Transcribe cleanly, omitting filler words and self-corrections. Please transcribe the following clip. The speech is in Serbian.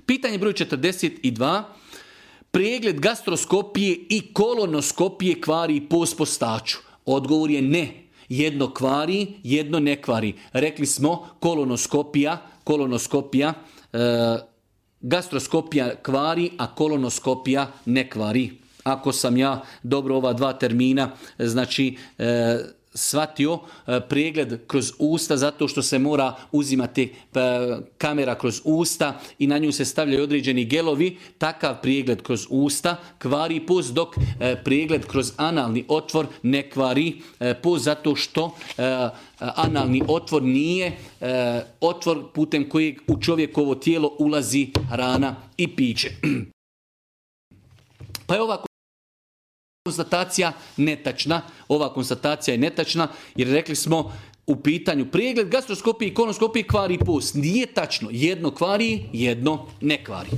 Pitanje broj 42. Pregled gastroskopije i kolonoskopije kvari post postaču. Odgovor je ne. Jedno kvari, jedno ne kvari. Rekli smo kolonoskopija, gastroskopija kvari, a kolonoskopija ne kvari. Ako sam ja dobro ova dva termina, znači shvatio, pregled kroz usta zato što se mora uzimati kamera kroz usta i na nju se stavljaju određeni gelovi, takav pregled kroz usta kvari post, dok pregled kroz analni otvor ne kvari post zato što analni otvor nije otvor putem kojeg u čovjekovo tijelo ulazi hrana i piće. Pa je ova konstatacija netačna. Ova konstatacija je netačna jer rekli smo u pitanju pregled gastroskopije i kolonoskopije kvari post. Nije tačno. Jedno kvari, jedno ne kvari.